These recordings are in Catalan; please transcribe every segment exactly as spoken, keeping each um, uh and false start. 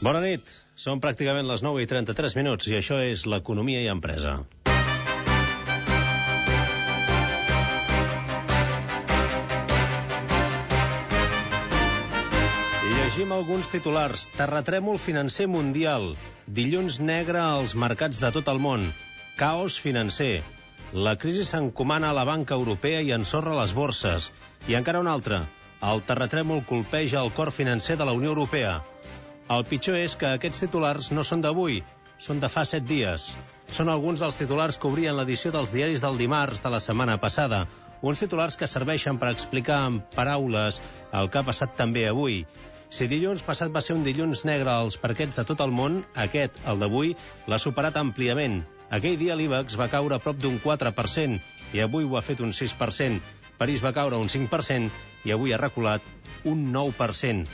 Bona nit, són pràcticament les nou i trenta-tres minuts i això és l'Economia i Empresa. I llegim alguns titulars. Terratrèmol financer mundial. Dilluns negre als mercats de tot el món. Caos financer. La crisi s'encomana a la banca europea i ensorra les borses. I encara un altre. El terratrèmol colpeja el cor financer de la Unió Europea. El pitjor és que aquests titulars no són d'avui, són de fa set dies. Són alguns dels titulars que obrien l'edició dels diaris del dimarts de la setmana passada. Uns titulars que serveixen per explicar en paraules el que ha passat també avui. Si dilluns passat va ser un dilluns negre als parquets de tot el món, aquest, el d'avui, l'ha superat àmpliament. Aquell dia l'IBEX va caure a prop d'un quatre per cent i avui ho ha fet un sis per cent. París va caure un cinc per cent i avui ha reculat un nou per cent.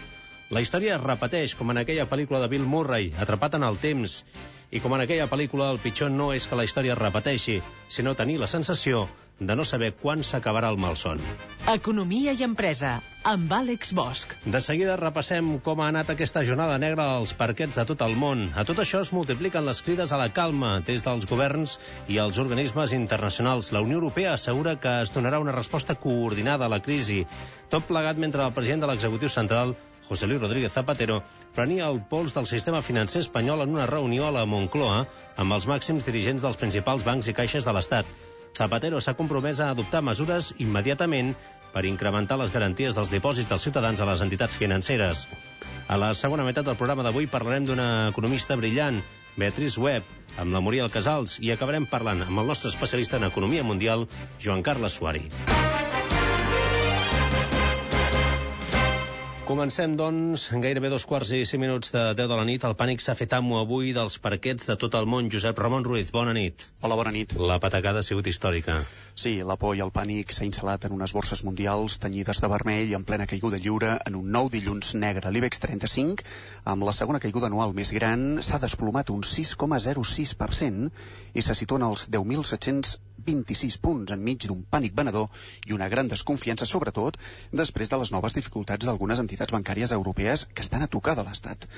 La història es repeteix, com en aquella pel·lícula de Bill Murray, Atrapat en el temps. I com en aquella pel·lícula, el pitjor no és que la història es repeteixi, sinó tenir la sensació de no saber quan s'acabarà el malson. Economia i Empresa, amb Àlex Bosch. De seguida repassem com ha anat aquesta jornada negra als parquets de tot el món. A tot això es multipliquen les crides a la calma des dels governs i els organismes internacionals. La Unió Europea assegura que es donarà una resposta coordinada a la crisi. Tot plegat mentre el president de l'executiu central, José Luis Rodríguez Zapatero, prenia el pols del sistema financer espanyol en una reunió a la Moncloa amb els màxims dirigents dels principals bancs i caixes de l'Estat. Zapatero s'ha compromès a adoptar mesures immediatament per incrementar les garanties dels dipòsits dels ciutadans a les entitats financeres. A la segona meitat del programa d'avui parlarem d'una economista brillant, Beatrice Webb, amb la Muriel Casals, i acabarem parlant amb el nostre especialista en economia mundial, Joan Carles Suari. Comencem, doncs, gairebé dos quarts i cinc minuts de deu de la nit. El pànic s'ha fet amo avui dels parquets de tot el món. Josep Ramon Ruiz, bona nit. Hola, bona nit. La patacada ha sigut històrica. Sí, la por i el pànic s'ha instal·lat en unes borses mundials tenyides de vermell en plena caiguda lliure en un nou dilluns negre. L'IBEX trenta-cinc, amb la segona caiguda anual més gran, s'ha desplomat un sis coma zero sis per cent i se situa en els deu mil set-cents vint-i-sis punts enmig d'un pànic venedor i una gran desconfiança, sobretot després de les noves dificultats d'algunes entitats bancàries europees que estan a tocar de l'Estat.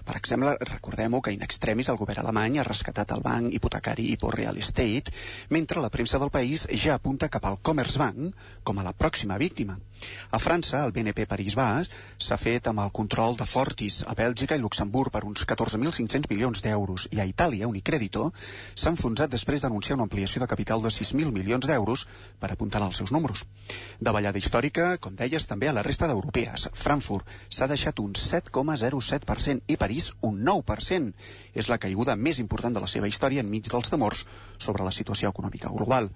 Per exemple, recordem-ho que in extremis el govern alemany ha rescatat el banc hipotecari Hypo Real Estate, mentre la premsa del país ja apunta cap al Commerzbank com a la pròxima víctima. A França, el B N P Paribas s'ha fet amb el control de Fortis, a Bèlgica i Luxemburg per uns catorze mil cinc-cents milions d'euros, i a Itàlia, Unicredito s'ha enfonsat després d'anunciar una ampliació de capital de sis mil milions d'euros per apuntar als seus números. Davallada històrica, com deies, també a la resta d'europees. Frankfurt s'ha deixat un set coma zero set per cent i París un nou per cent. És la caiguda més important de la seva història enmig dels temors sobre la situació econòmica global.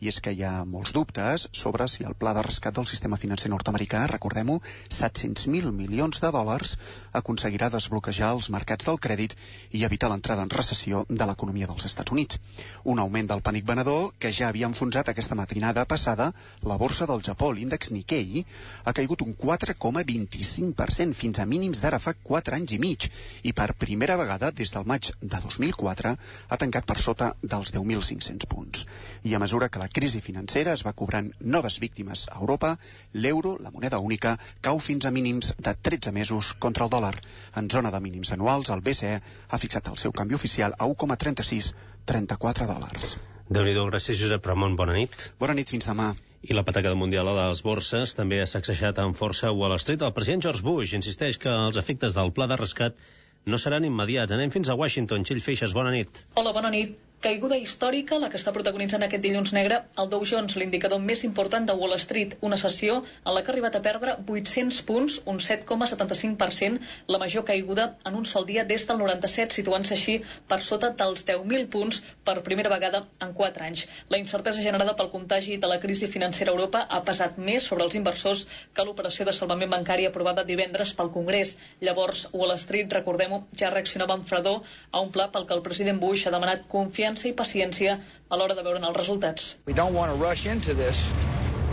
I és que hi ha molts dubtes sobre si el pla de rescat del sistema financer nord-americà, recordem-ho, set-cents mil milions de dòlars, aconseguirà desbloquejar els mercats del crèdit i evitar l'entrada en recessió de l'economia dels Estats Units. Un augment del pànic venedor que ja havia enfonsat aquesta matinada passada la borsa del Japó, l'índex Nikkei, ha caigut un quatre coma vint-i-cinc per cent fins a mínims d'ara fa quatre anys i mig i per primera vegada des del maig de dos mil quatre ha tancat per sota dels deu mil cinc-cents punts. I a mesura que la crisi financera es va cobrant noves víctimes a Europa, l'euro, la moneda única, cau fins a mínims de tretze mesos contra el dòlar. En zona de mínims anuals, el B C E ha fixat el seu canvi oficial a un coma trenta-sis trenta-quatre dòlars. Déu-n'hi-do, gràcies Josep Ramon, bona nit. Bona nit, fins demà. I la patacada mundial a les borses també ha sacsejat amb força Wall Street. El president George Bush insisteix que els efectes del pla de rescat no seran immediats. Anem fins a Washington. Txell Feixes, bona nit. Hola, bona nit. Caiguda històrica, la que està protagonitzant aquest dilluns negre el Dow Jones, l'indicador més important de Wall Street, una sessió en la que ha arribat a perdre vuit-cents punts, un set coma setanta-cinc per cent, la major caiguda en un sol dia des del noranta-set, situant-se així per sota dels deu mil punts per primera vegada en quatre anys. La incertesa generada pel contagi de la crisi financera a Europa ha pesat més sobre els inversors que l'operació de salvament bancari aprovada divendres pel Congrés. Llavors, Wall Street, recordem-ho, ja reaccionava amb fredor a un pla pel que el president Bush ha demanat confiança i paciència a l'hora de veure'n els resultats. We don't want to rush into this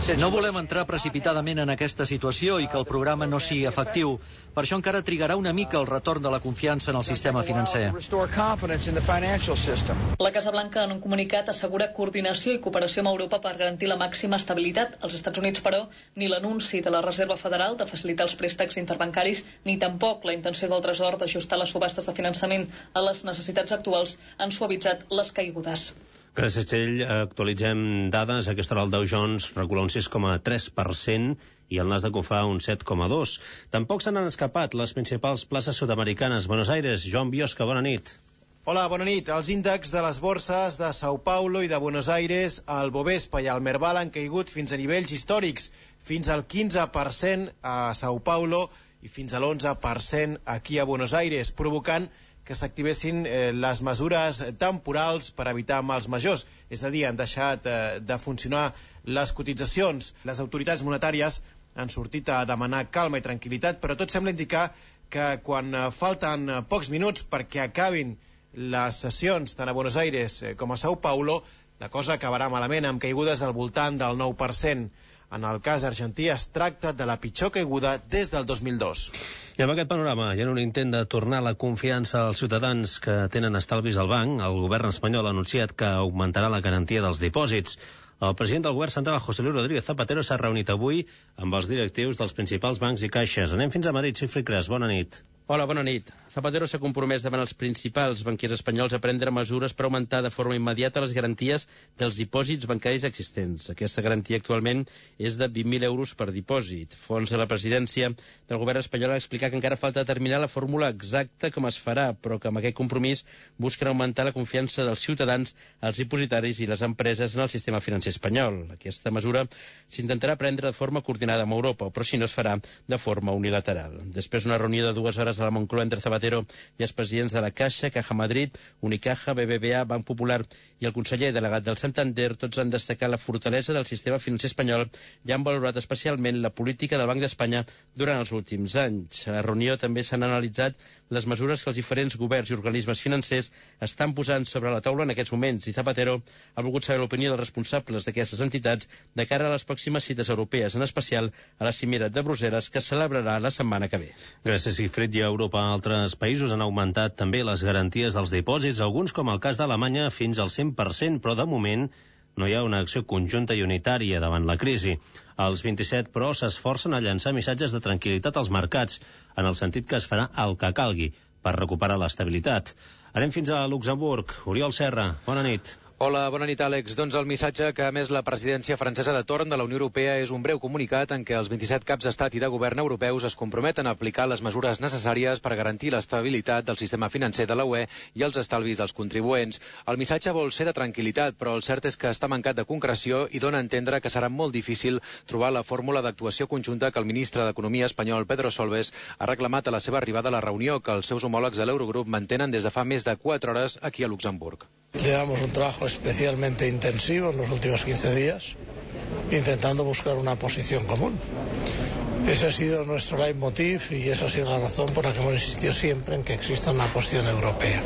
No volem entrar precipitadament en aquesta situació i que el programa no sigui efectiu. Per això encara trigarà una mica el retorn de la confiança en el sistema financer. La Casa Blanca, en un comunicat, assegura coordinació i cooperació amb Europa per garantir la màxima estabilitat. Els Estats Units, però, ni l'anunci de la Reserva Federal de facilitar els préstecs interbancaris, ni tampoc la intenció del Tresor d'ajustar les subhastes de finançament a les necessitats actuals han suavitzat les caigudes. Gràcies, Txell. Actualitzem dades. A aquesta hora el Dow Jones recula un sis coma tres per cent i el Nasdaq ho fa un set coma dos per cent. Tampoc se n'han escapat les principals places sud-americanes. Buenos Aires, Joan Biosca, bona nit. Hola, bona nit. Els índexs de les borses de Sao Paulo i de Buenos Aires, el Bovespa i el Merval han caigut fins a nivells històrics, fins al quinze per cent a Sao Paulo i fins a l'onze per cent aquí a Buenos Aires, provocant que s'activessin eh, les mesures temporals per evitar mals majors. És a dir, han deixat eh, de funcionar les cotitzacions. Les autoritats monetàries han sortit a demanar calma i tranquil·litat, però tot sembla indicar que quan eh, falten eh, pocs minuts perquè acabin les sessions tant a Buenos Aires eh, com a Sao Paulo, la cosa acabarà malament, amb caigudes al voltant del nou per cent. En el cas argentí es tracta de la pitjor caiguda des del dos mil dos. I amb aquest panorama, i en un intent de tornar la confiança als ciutadans que tenen estalvis al banc, el govern espanyol ha anunciat que augmentarà la garantia dels dipòsits. El president del govern central, José Luis Rodríguez Zapatero, s'ha reunit avui amb els directius dels principals bancs i caixes. Anem fins a Madrid, Xifri Cres, bona nit. Hola, bona nit. Zapatero s'ha compromès davant els principals banquiers espanyols a prendre mesures per augmentar de forma immediata les garanties dels dipòsits bancaris existents. Aquesta garantia actualment és de vint mil euros per dipòsit. Fons de la presidència del govern espanyol ha explicat que encara falta determinar la fórmula exacta com es farà, però que amb aquest compromís busquen augmentar la confiança dels ciutadans, els dipositaris i les empreses en el sistema financer espanyol. Aquesta mesura s'intentarà prendre de forma coordinada amb Europa, però si no es farà de forma unilateral. Després d'una reunió de dues hores a la Moncloa entre Zapatero i els presidents de la Caixa, Caja Madrid, Unicaja, B B V A, Banc Popular i el conseller delegat del Santander, tots han destacat la fortalesa del sistema financer espanyol i han valorat especialment la política del Banc d'Espanya durant els últims anys. A la reunió també s'han analitzat les mesures que els diferents governs i organismes financers estan posant sobre la taula en aquests moments, i Zapatero ha volgut saber l'opinió dels responsables d'aquestes entitats de cara a les pròximes cites europees, en especial a la cimera de Brussel·les, que es celebrarà la setmana que ve. Gràcies, Sigfrid. I a Europa, altres països han augmentat també les garanties dels dipòsits, alguns, com el cas d'Alemanya, fins al cent per cent, però de moment no hi ha una acció conjunta i unitària davant la crisi. Els vint-i-set, però, s'esforcen a llançar missatges de tranquil·litat als mercats, en el sentit que es farà el que calgui per recuperar l'estabilitat. Anem fins a Luxemburg. Oriol Serra, bona nit. Hola, bona nit, Àlex. Doncs el missatge que ha emès la presidència francesa de torn de la Unió Europea és un breu comunicat en què els vint-i-set caps d'estat i de govern europeus es comprometen a aplicar les mesures necessàries per garantir l'estabilitat del sistema financer de la U E i els estalvis dels contribuents. El missatge vol ser de tranquil·litat, però el cert és que està mancat de concreció i dona a entendre que serà molt difícil trobar la fórmula d'actuació conjunta que el ministre d'Economia espanyol, Pedro Solbes, ha reclamat a la seva arribada a la reunió que els seus homòlegs de l'Eurogrup mantenen des de fa més de quatre hores aquí a Luxemburg. Llevamos un trabajo especialmente intensivo en los últimos quince días, intentando buscar una posición común. Ese ha sido nuestro leitmotiv y esa ha sido la razón por la que hemos insistido siempre en que exista una posición europea.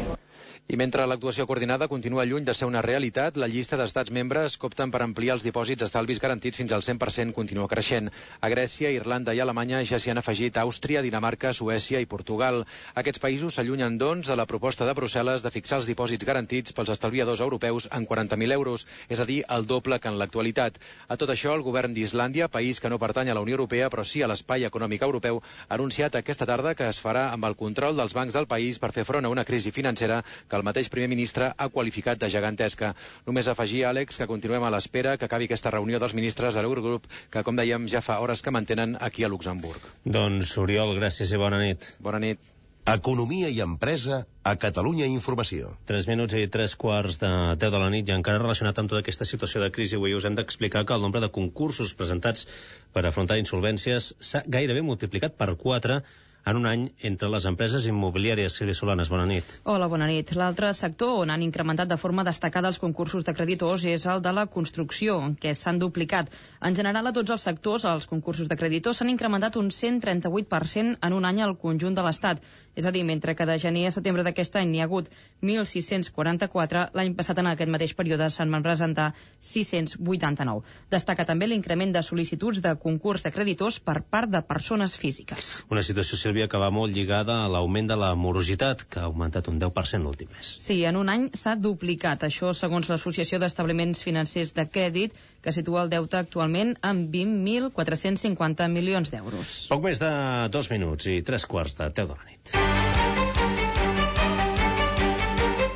I mentre l'actuació coordinada continua lluny de ser una realitat, la llista d'estats membres que opten per ampliar els dipòsits estalvis garantits fins al cent per cent continua creixent. A Grècia, Irlanda i Alemanya ja s'hi han afegit Àustria, Dinamarca, Suècia i Portugal. Aquests països s'allunyen, doncs, de la proposta de Brussel·les de fixar els dipòsits garantits pels estalviadors europeus en quaranta mil euros, és a dir, el doble que en l'actualitat. A tot això, el govern d'Islàndia, país que no pertany a la Unió Europea però sí a l'espai econòmic europeu, ha anunciat aquesta tarda que es farà amb el control dels bancs del país per fer front a una crisi financera que el mateix primer ministre ha qualificat de gegantesca. Només afegir, Àlex, que continuem a l'espera que acabi aquesta reunió dels ministres de l'Eurogrup, que, com dèiem, ja fa hores que mantenen aquí a Luxemburg. Doncs, Oriol, gràcies i bona nit. Bona nit. Economia i empresa a Catalunya Informació. Tres minuts i tres quarts de deu de la nit, i encara relacionat amb tota aquesta situació de crisi, avui us hem d'explicar que el nombre de concursos presentats per afrontar insolvències s'ha gairebé multiplicat per quatre en un any entre les empreses immobiliàries. Sílvia Solanes, bona nit. Hola, bona nit. L'altre sector on han incrementat de forma destacada els concursos de creditors és el de la construcció, en què s'han duplicat. En general, a tots els sectors, els concursos de creditors s'han incrementat un cent trenta-vuit per cent en un any al conjunt de l'Estat. És a dir, mentre que de gener a setembre d'aquest any n'hi ha hagut mil sis-cents quaranta-quatre, l'any passat en aquest mateix període se'n van presentar sis-cents vuitanta-nou. Destaca també l'increment de sol·licituds de concurs de creditors per part de persones físiques. Una situació, Sílvia, que va molt lligada a l'augment de la morositat, que ha augmentat un deu per cent l'últim mes. Sí, en un any s'ha duplicat. Això segons l'Associació d'Establiments Financers de Crèdit, que situa el deute actualment en vint mil quatre-cents cinquanta milions d'euros. Poc més de dos minuts i tres quarts de deu de la nit.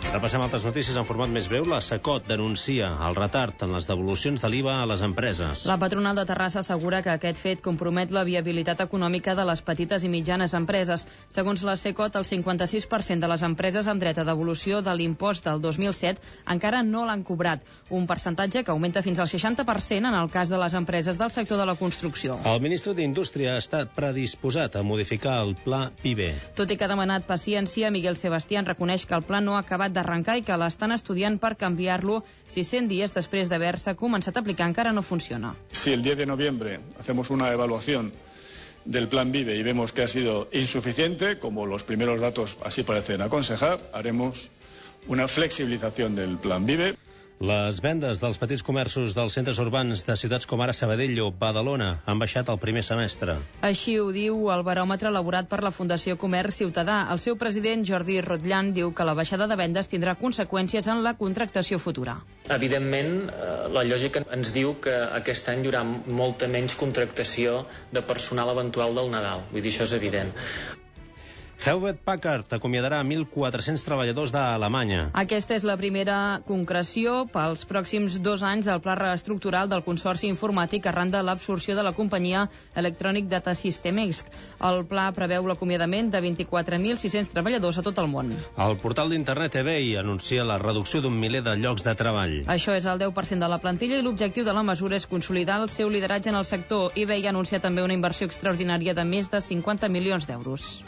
Repassem altres notícies en format més breu. La SECOT denuncia el retard en les devolucions de l'I V A a les empreses. La patronal de Terrassa assegura que aquest fet compromet la viabilitat econòmica de les petites i mitjanes empreses. Segons la SECOT, el cinquanta-sis per cent de les empreses amb dret a devolució de l'impost del dos mil set encara no l'han cobrat, un percentatge que augmenta fins al seixanta per cent en el cas de les empreses del sector de la construcció. El ministre d'Indústria ha estat predisposat a modificar el pla PIBE. Tot i que ha demanat paciència, Miguel Sebastián reconeix que el pla no ha acabat d'arrencar i que l'estan estudiant per canviar-lo si cent dies després d'haver-se començat a aplicar encara no funciona. Si el diez de noviembre hacemos una evaluación del plan Vive y vemos que ha sido insuficiente, como los primeros datos así parecen aconsejar, haremos una flexibilización del plan Vive. Les vendes dels petits comerços dels centres urbans de ciutats com ara Sabadell o Badalona han baixat el primer semestre. Així ho diu el baròmetre elaborat per la Fundació Comerç Ciutadà. El seu president, Jordi Rotllan, diu que la baixada de vendes tindrà conseqüències en la contractació futura. Evidentment, la lògica ens diu que aquest any hi haurà molta menys contractació de personal eventual del Nadal. Vull dir, això és evident. Hewlett Packard acomiadarà mil quatre-cents treballadors d'Alemanya. Aquesta és la primera concreció pels pròxims dos anys del pla reestructural del Consorci Informàtic arran de l'absorció de la companyia Electronic Data Systems. El pla preveu l'acomiadament de vint-i-quatre mil sis-cents treballadors a tot el món. El portal d'internet eBay anuncia la reducció d'un miler de llocs de treball. Això és el deu per cent de la plantilla i l'objectiu de la mesura és consolidar el seu lideratge en el sector. eBay anuncia també una inversió extraordinària de més de cinquanta milions d'euros.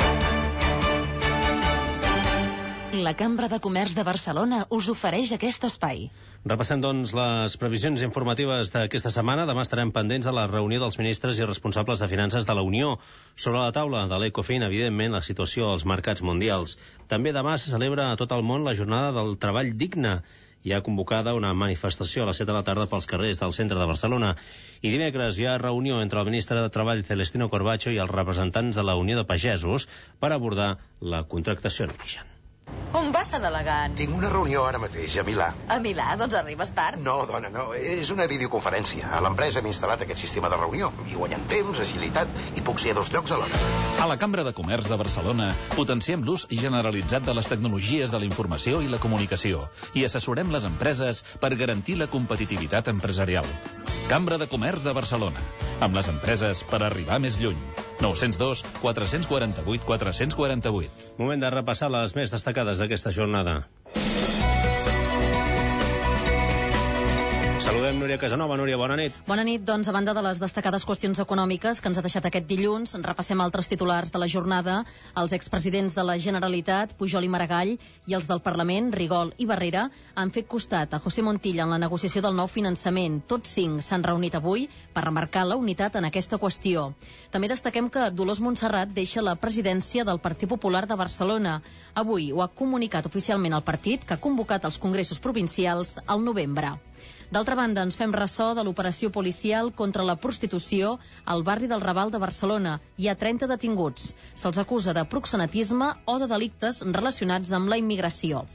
La Cambra de Comerç de Barcelona us ofereix aquest espai. Repassem, doncs, les previsions informatives d'aquesta setmana. Demà estarem pendents de la reunió dels ministres i responsables de finances de la Unió. Sobre la taula de l'Ecofin, evidentment, la situació als mercats mundials. També demà se celebra a tot el món la jornada del treball digne. Hi ha convocada una manifestació a les set de la tarda pels carrers del centre de Barcelona. I dimecres hi ha reunió entre el ministre de Treball, Celestino Corbacho, i els representants de la Unió de Pagesos per abordar la contractació en origen. On vas tan elegant? Tinc una reunió ara mateix, a Milà. A Milà? Doncs arribes tard. No, dona, no. És una videoconferència. A l'empresa hem instal·lat aquest sistema de reunió. I guanyem temps, agilitat, i puc ser a dos llocs alhora. A la Cambra de Comerç de Barcelona potenciem l'ús generalitzat de les tecnologies de la informació i la comunicació i assessorem les empreses per garantir la competitivitat empresarial. Cambra de Comerç de Barcelona. Amb les empreses per arribar més lluny. nou zero dos, quatre quatre vuit, quatre quatre vuit. Moment de repassar les més destacades d'aquesta jornada. Saludem Núria Casanova. Núria, bona nit. Bona nit. Doncs, a banda de les destacades qüestions econòmiques que ens ha deixat aquest dilluns, repassem altres titulars de la jornada. Els expresidents de la Generalitat, Pujol i Maragall, i els del Parlament, Rigol i Barrera, han fet costat a José Montilla en la negociació del nou finançament. Tots cinc s'han reunit avui per remarcar la unitat en aquesta qüestió. També destaquem que Dolors Montserrat deixa la presidència del Partit Popular de Barcelona. Avui ho ha comunicat oficialment el partit, que ha convocat els congressos provincials al novembre. D'altra banda, ens fem ressò de l'operació policial contra la prostitució al barri del Raval de Barcelona. Hi ha trenta detinguts. Se'ls acusa de proxenetisme o de delictes relacionats amb la immigració.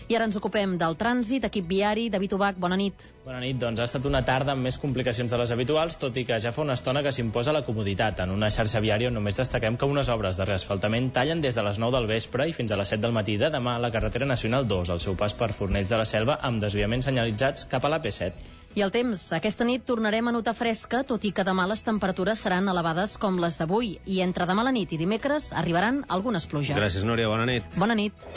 I ara ens ocupem del trànsit, equip viari. David Ubach, bona nit. Bona nit. Doncs ha estat una tarda amb més complicacions de les habituals, tot i que ja fa una estona que s'imposa la comoditat. En una xarxa viària on només destaquem que unes obres de reasfaltament tallen des de les nou del vespre i fins a les set del matí de demà a la carretera nacional dos, al seu pas per Fornells de la Selva, amb desviaments senyalitzats cap a la P set. I el temps. Aquesta nit tornarem a notar fresca, tot i que demà les temperatures seran elevades com les d'avui. I entre demà a la nit i dimecres arribaran algunes pluges. Gràcies, Núria. Bona nit. Bona nit.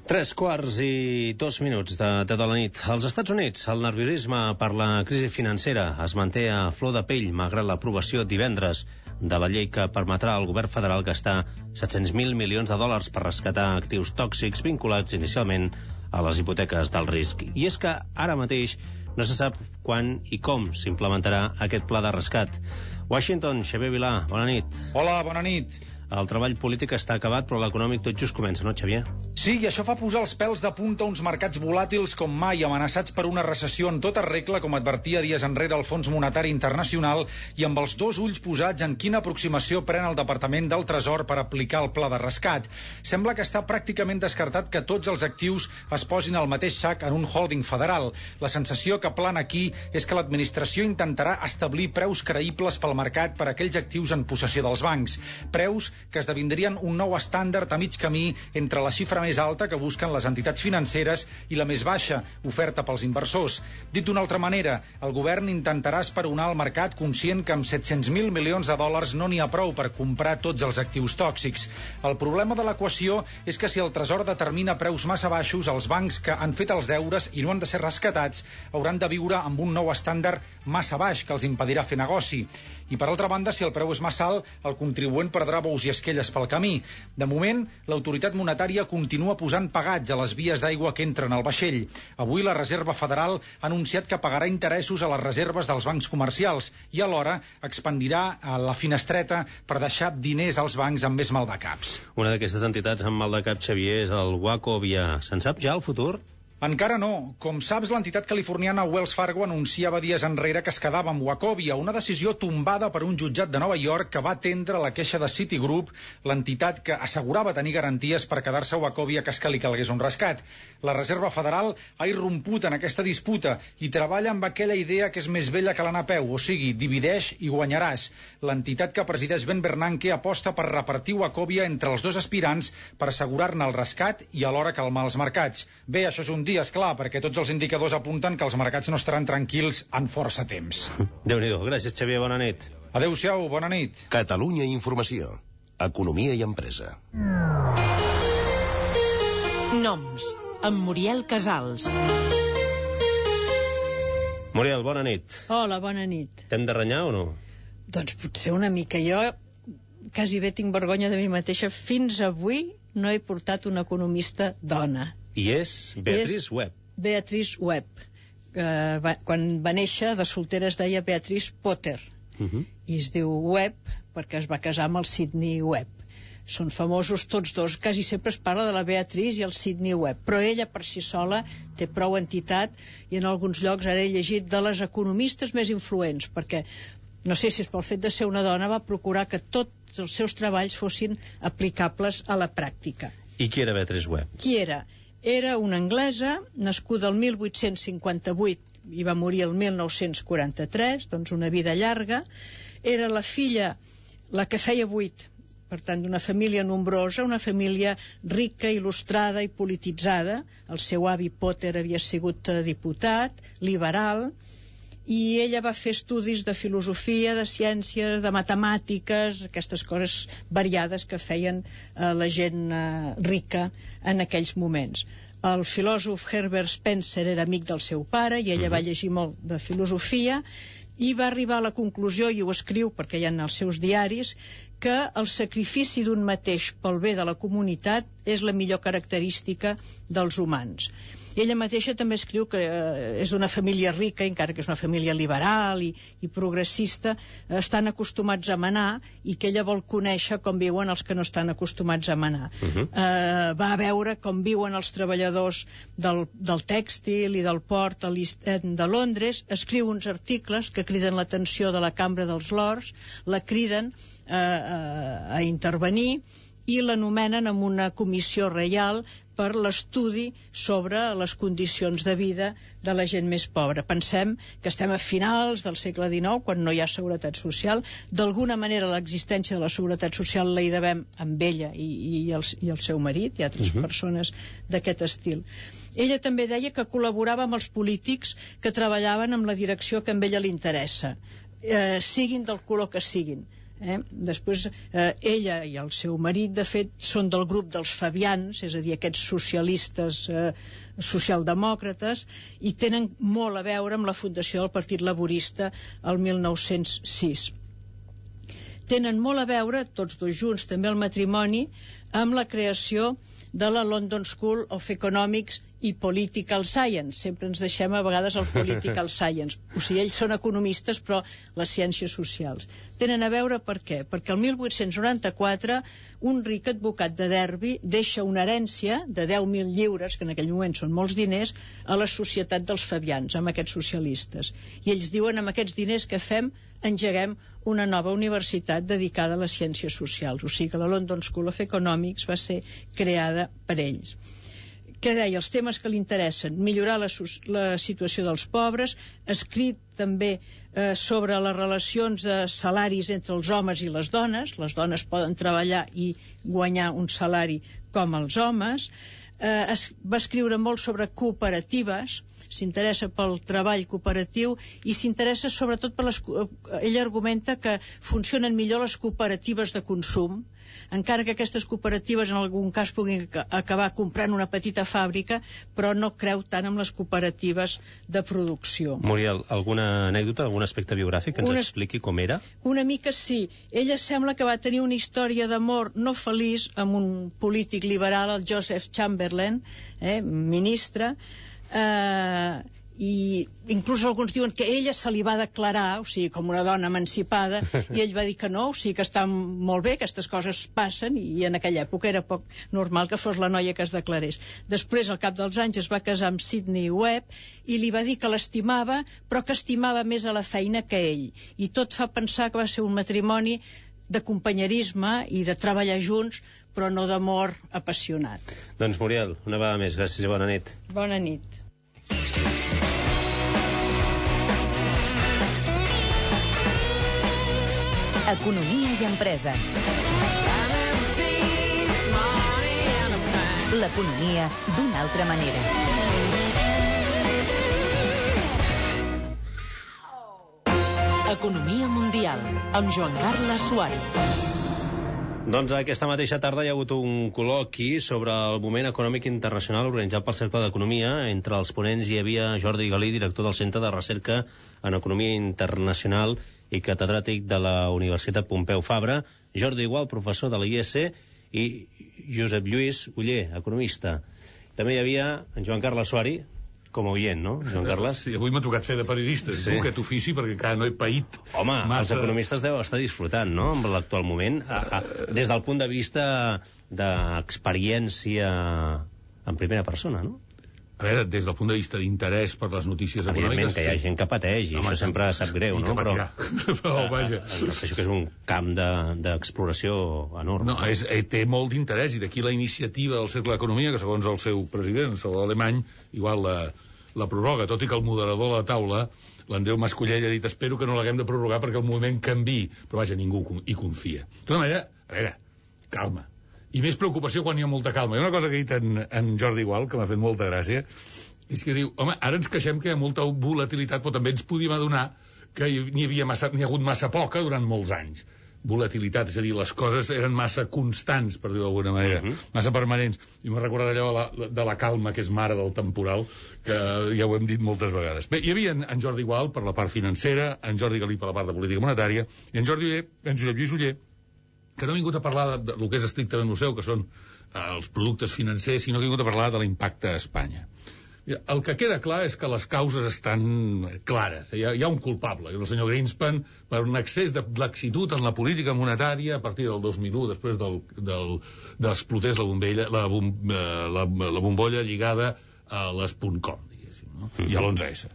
Tres quarts i dos minuts de, de la nit. Als Estats Units, el nerviosisme per la crisi financera es manté a flor de pell, malgrat l'aprovació divendres de la llei que permetrà al govern federal gastar set-cents mil milions de dòlars per rescatar actius tòxics vinculats inicialment a les hipoteques del risc. I és que ara mateix no se sap quan i com s'implementarà aquest pla de rescat. Washington, Xavier Vilà, bona nit. Hola, bona nit. El treball polític està acabat, però l'econòmic tot just comença, no, Xavier? Sí, i això fa posar els pèls de punta uns mercats volàtils com mai, amenaçats per una recessió en tota regla, com advertia dies enrere el Fons Monetari Internacional, i amb els dos ulls posats en quina aproximació pren el Departament del Tresor per aplicar el pla de rescat. Sembla que està pràcticament descartat que tots els actius es posin al mateix sac en un holding federal. La sensació que plana aquí és que l'administració intentarà establir preus creïbles pel mercat per a aquells actius en possessió dels bancs. Preus que esdevindrien un nou estàndard a mig camí entre la xifra més alta que busquen les entitats financeres i la més baixa, oferta pels inversors. Dit d'una altra manera, el govern intentarà esperonar el mercat conscient que amb set-cents mil milions de dòlars no n'hi ha prou per comprar tots els actius tòxics. El problema de l'equació és que si el Tresor determina preus massa baixos, els bancs que han fet els deures i no han de ser rescatats hauran de viure amb un nou estàndard massa baix que els impedirà fer negoci. I per altra banda, si el preu és massa alt, el contribuent perdrà bous i esquelles pel camí. De moment, l'autoritat monetària continua posant pagats a les vies d'aigua que entren al vaixell. Avui la Reserva Federal ha anunciat que pagarà interessos a les reserves dels bancs comercials i alhora expandirà la finestreta per deixar diners als bancs amb més maldecaps. Una d'aquestes entitats amb maldecap, Xavier, és el Wachovia. Se'n sap ja el futur? Encara no. Com saps, l'entitat californiana Wells Fargo anunciava dies enrere que es quedava amb Wachovia, una decisió tombada per un jutjat de Nova York que va atendre la queixa de Citigroup, l'entitat que assegurava tenir garanties per quedar-se a Wachovia cas que li calgués un rescat. La Reserva Federal ha irromput en aquesta disputa i treballa amb aquella idea que és més vella que l'anar a peu, o sigui, divideix i guanyaràs. L'entitat que presideix Ben Bernanke aposta per repartir Wachovia entre els dos aspirants per assegurar-ne el rescat i alhora calmar els mercats. Bé, això és un dia, esclar, perquè tots els indicadors apunten que els mercats no estaran tranquils en força temps. Déu-n'hi-do. Gràcies, Xavier. Bona nit. Adéu-siau. Bona nit. Catalunya Informació. Economia i empresa. Noms. Amb Muriel Casals. Muriel, bona nit. Hola, bona nit. T'hem de renyar o no? Doncs potser una mica. Jo quasi bé tinc vergonya de mi mateixa. Fins avui no he portat una economista dona. I és Beatrice Webb. Beatrice Webb. Uh, va, quan va néixer, de soltera es deia Beatrice Potter. Uh -huh. I es diu Webb perquè es va casar amb el Sidney Webb. Són famosos tots dos. Quasi sempre es parla de la Beatrice i el Sidney Webb. Però ella per si sola té prou entitat i en alguns llocs ara he llegit de les economistes més influents, perquè no sé si és pel fet de ser una dona va procurar que tots els seus treballs fossin aplicables a la pràctica. I qui era Beatrice Webb? Qui era? Era una anglesa, nascuda el mil vuit-cents cinquanta-vuit i va morir el mil nou-cents quaranta-tres, doncs una vida llarga. Era la filla, la que feia vuit, per tant, d'una família nombrosa, una família rica, il·lustrada i polititzada. El seu avi Potter havia sigut diputat, liberal, i ella va fer estudis de filosofia, de ciències, de matemàtiques, aquestes coses variades que feien eh, la gent eh, rica en aquells moments. El filòsof Herbert Spencer era amic del seu pare i ella uh-huh. va llegir molt de filosofia i va arribar a la conclusió, i ho escriu perquè hi ha en els seus diaris, que el sacrifici d'un mateix pel bé de la comunitat és la millor característica dels humans. Ella mateixa també escriu que eh, és d'una família rica, encara que és una família liberal i, i progressista, eh, estan acostumats a manar i que ella vol conèixer com viuen els que no estan acostumats a manar. Uh-huh. eh, va veure com viuen els treballadors del, del tèxtil i del port a l'East End de Londres, escriu uns articles que criden l'atenció de la Cambra dels Lords, la criden eh, a, a intervenir i l'anomenen amb una comissió reial per l'estudi sobre les condicions de vida de la gent més pobra. Pensem que estem a finals del segle dinou, quan no hi ha seguretat social. D'alguna manera l'existència de la seguretat social la hi devem amb ella i, i, el, i el seu marit i altres uh-huh. persones d'aquest estil. Ella també deia que col·laborava amb els polítics que treballaven amb la direcció que a ella li interessa, eh, siguin del color que siguin. Eh? Després, eh, ella i el seu marit, de fet, són del grup dels Fabians, és a dir, aquests socialistes eh, socialdemòcrates, i tenen molt a veure amb la fundació del Partit Laborista el mil nou-cents sis. Tenen molt a veure, tots dos junts, també el matrimoni, amb la creació de la London School of Economics i Political Science. Sempre ens deixem a vegades el Political Science. O sigui, ells són economistes, però les ciències socials. Tenen a veure per què? Perquè el mil vuit-cents noranta-quatre un ric advocat de Derby deixa una herència de deu mil lliures, que en aquell moment són molts diners, a la societat dels Fabians, amb aquests socialistes. I ells diuen, amb aquests diners que fem, engeguem una nova universitat dedicada a les ciències socials. O sigui que la London School of Economics va ser creada per ells. Què deia? Els temes que li interessen: millorar la, la situació dels pobres, escrit també eh, sobre les relacions de salaris entre els homes i les dones. Les dones poden treballar i guanyar un salari com els homes. Eh, es, va escriure molt sobre cooperatives, s'interessa pel treball cooperatiu i s'interessa sobretot per les... Ell argumenta que funcionen millor les cooperatives de consum, encara que aquestes cooperatives en algun cas puguin acabar comprant una petita fàbrica, però no creu tant en les cooperatives de producció. Muriel, alguna anècdota, algun aspecte biogràfic que ens una... expliqui com era? Una mica sí. Ella sembla que va tenir una història d'amor no feliç amb un polític liberal, el Joseph Chamberlain, eh, ministre, eh, i inclús alguns diuen que ella se li va declarar, o sigui, com una dona emancipada, i ell va dir que no, o sigui, que està molt bé, aquestes coses passen, i en aquella època era poc normal que fos la noia que es declarés. Després, al cap dels anys, es va casar amb Sidney Webb i li va dir que l'estimava, però que estimava més a la feina que ell. I tot fa pensar que va ser un matrimoni de companyerisme i de treballar junts, però no d'amor apassionat. Doncs, Muriel, una vegada més, gràcies i bona nit. Bona nit. Economia i empresa. L'economia d'una altra manera. Economia mundial, amb Joan Carles Suárez. Doncs aquesta mateixa tarda hi ha hagut un col·loqui sobre el moment econòmic internacional organitzat pel Cercle d'Economia. Entre els ponents hi havia Jordi Galí, director del Centre de Recerca en Economia Internacional i catedràtic de la Universitat Pompeu Fabra, Jordi Igual, professor de la I E S, i Josep Lluís Oller, economista. També hi havia en Joan Carles Suárez, com a oient, no, Joan Carles? Sí, avui m'ha tocat fer de periodista, sí. Tu, aquest ofici, perquè encara no he paït. Home, massa... els economistes deuen estar disfrutant, no?, amb l'actual moment, a, a, des del punt de vista d'experiència en primera persona, no? A veure, des del punt de vista d'interès per les notícies econòmiques... Evidentment que hi ha gent que pateix, i home, això sempre sap greu, no? Però, però vaja... Això que és un camp d'exploració de, enorme. No, és, té molt d'interès, i d'aquí la iniciativa del Cercle d'Economia, que segons el seu president, Salvador Alemany, igual la, la prorroga, tot i que el moderador de la taula, l'Andreu Mascollell, ha dit: espero que no l'haguem de prorrogar perquè el moviment canviï. Però vaja, ningú hi confia. De tota manera, a veure, calma. I més preocupació quan hi ha molta calma. Hi ha una cosa que ha dit en, en Jordi Igual, que m'ha fet molta gràcia, és que diu, home, ara ens queixem que hi ha molta volatilitat, però també ens podíem adonar que n'hi havia massa, n'hi ha hagut massa poca durant molts anys. Volatilitat, és a dir, les coses eren massa constants, per dir-ho d'alguna manera, uh-huh. massa permanents. I m'ha recordat allò de la, de la calma, que és mare del temporal, que ja ho hem dit moltes vegades. Bé, hi havia en, en Jordi Igual per la part financera, en Jordi Galí per la part de política monetària, i en Jordi Oller, en Josep Lluís Oller, que no ha vingut a parlar de, de, del que és estrictament el seu, que són eh, els productes financers, sinó que ha vingut a parlar de l'impacte a Espanya. Mira, el que queda clar és que les causes estan clares. Hi ha, hi ha un culpable, el senyor Greenspan, per un excés de laxitud en la política monetària a partir del dos mil u, després del, del, d'explotés la, bombella, la, bom, la, la bombolla lligada a les .com. No? I a l'onze esse.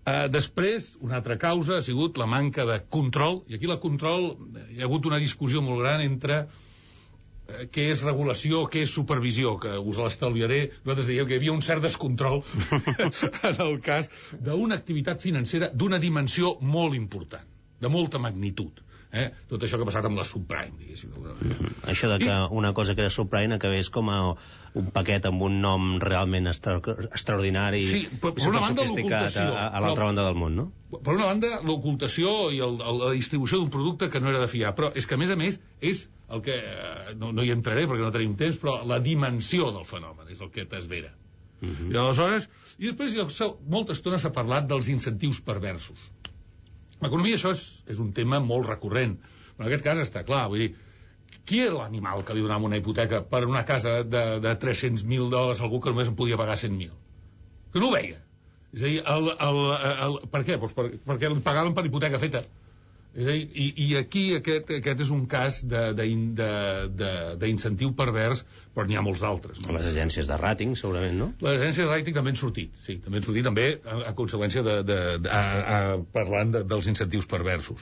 Uh, després, una altra causa ha sigut la manca de control, i aquí la control, hi ha hagut una discussió molt gran entre uh, què és regulació, què és supervisió, que us l'estalviaré. Nosaltres dèiem que hi havia un cert descontrol en el cas d'una activitat financera d'una dimensió molt important, de molta magnitud. Eh? Tot això que ha passat amb la subprime, diguéssim. Mm-hmm. Això de que I... una cosa que era subprime acabés com a un paquet amb un nom realment extra... extraordinari sí, per, per una banda, sofisticat a, a l'altra però, banda del món, no? Per una banda, l'ocultació i el, el, la distribució d'un producte que no era de fiar, però és que, a més a més, és el que... No, no hi entraré perquè no tenim temps, però la dimensió del fenomen és el que t'esvera. Mm-hmm. I aleshores... I després, molta estona s'ha parlat dels incentius perversos. L'economia, això és, és un tema molt recurrent, però en aquest cas està clar, vull dir, qui era l'animal que li donava una hipoteca per una casa de, de tres-cents mil dòlars a algú que només en podia pagar cent mil? Que no ho veia. És a dir, el, el, el, per què? Pues per, perquè li pagaven per hipoteca feta. És a dir, i, i aquí aquest, aquest és un cas d'incentiu pervers, però n'hi ha molts d'altres. No? Les agències de ràting, segurament, no? Les agències de ràting també han sortit, sí, també han sortit també a, a conseqüència de, de, de a, a, parlant de, dels incentius perversos.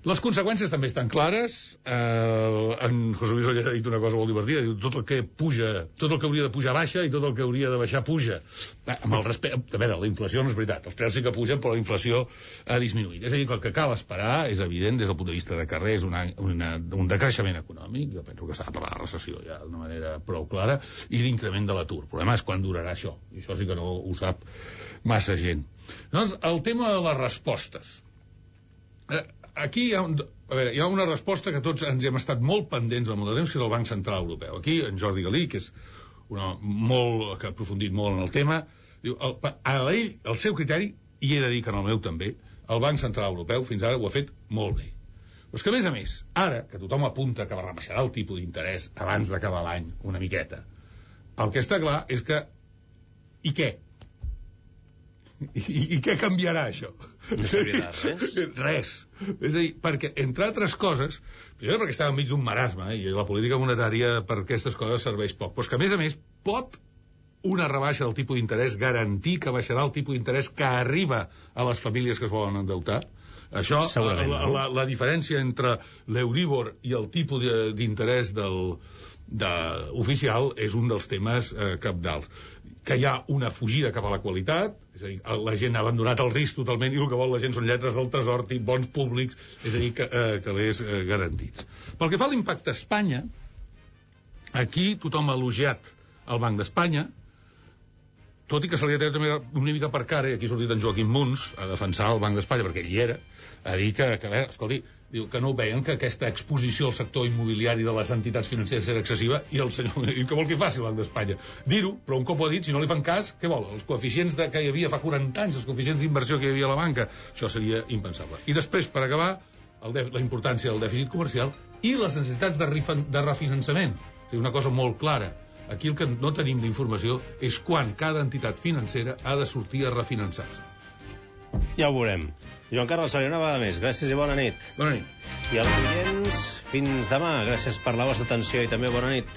Les conseqüències també estan clares. Eh, en José Luis Oller ha dit una cosa molt divertida. Diu, tot el que puja, tot el que hauria de pujar baixa i tot el que hauria de baixar puja. Eh, amb el respecte... A veure, la inflació no és veritat. Els preus sí que pugen, però la inflació ha disminuït. És a dir, que el que cal esperar és evident des del punt de vista de carrer, és una, una, un decreixement econòmic. Jo penso que s'ha de parlar de recessió ja d'una manera prou clara, i d'increment de l'atur. El problema és quan durarà això. I això sí que no ho sap massa gent. Llavors, el tema de les respostes. Eh, Aquí hi ha, un, a veure, hi ha una resposta que tots ens hem estat molt pendents al molt de temps, que és el Banc Central Europeu. Aquí, en Jordi Galí, que és una, molt, que ha aprofundit molt en el tema, diu, el, a ell, el seu criteri, i he de dir que en el meu també, el Banc Central Europeu fins ara ho ha fet molt bé. Però és que, a més a més, ara, que tothom apunta que rebaixarà el tipus d'interès abans d'acabar l'any, una miqueta, el que està clar és que... I què? I, i què canviarà, això? No servirà res. Res. És a dir, perquè, entre altres coses, primer perquè estava enmig d'un marasme, eh, i la política monetària per aquestes coses serveix poc, però és que, a més a més, pot una rebaixa del tipus d'interès garantir que baixarà el tipus d'interès que arriba a les famílies que es volen endeutar? Això, la, la, la, la diferència entre l'Euríbor i el tipus d'interès del, de, oficial és un dels temes eh, cabdals. Que hi ha una fugida cap a la qualitat, és a dir, la gent ha abandonat el risc totalment i el que vol la gent són lletres del tresor, bons públics, és a dir, que, eh, que l'és eh, garantits. Pel que fa a l'impacte a Espanya, aquí tothom ha elogiat el Banc d'Espanya, tot i que se li ha tret també una mica per cara, i aquí ha sortit en Joaquim Muns a defensar el Banc d'Espanya, perquè ell hi era, a dir que, que a veure, escolti, diu que no veien que aquesta exposició al sector immobiliari de les entitats financeres era excessiva, i el senyor diu que vol que faci el Banc d'Espanya. Dir-ho, però un cop ho ha dit, si no li fan cas, què vol? Els coeficients de, que hi havia fa quaranta anys, els coeficients d'inversió que hi havia a la banca, això seria impensable. I després, per acabar, el de, la importància del dèficit comercial i les necessitats de, rifan, de refinançament. O sigui, una cosa molt clara. Aquí el que no tenim d'informació és quan cada entitat financera ha de sortir a refinançar-se. Ja ho veurem. Joan Carles Soler, una vegada més. Gràcies i bona nit. Bona nit. I als clients, fins demà. Gràcies per la vostra atenció i també bona nit.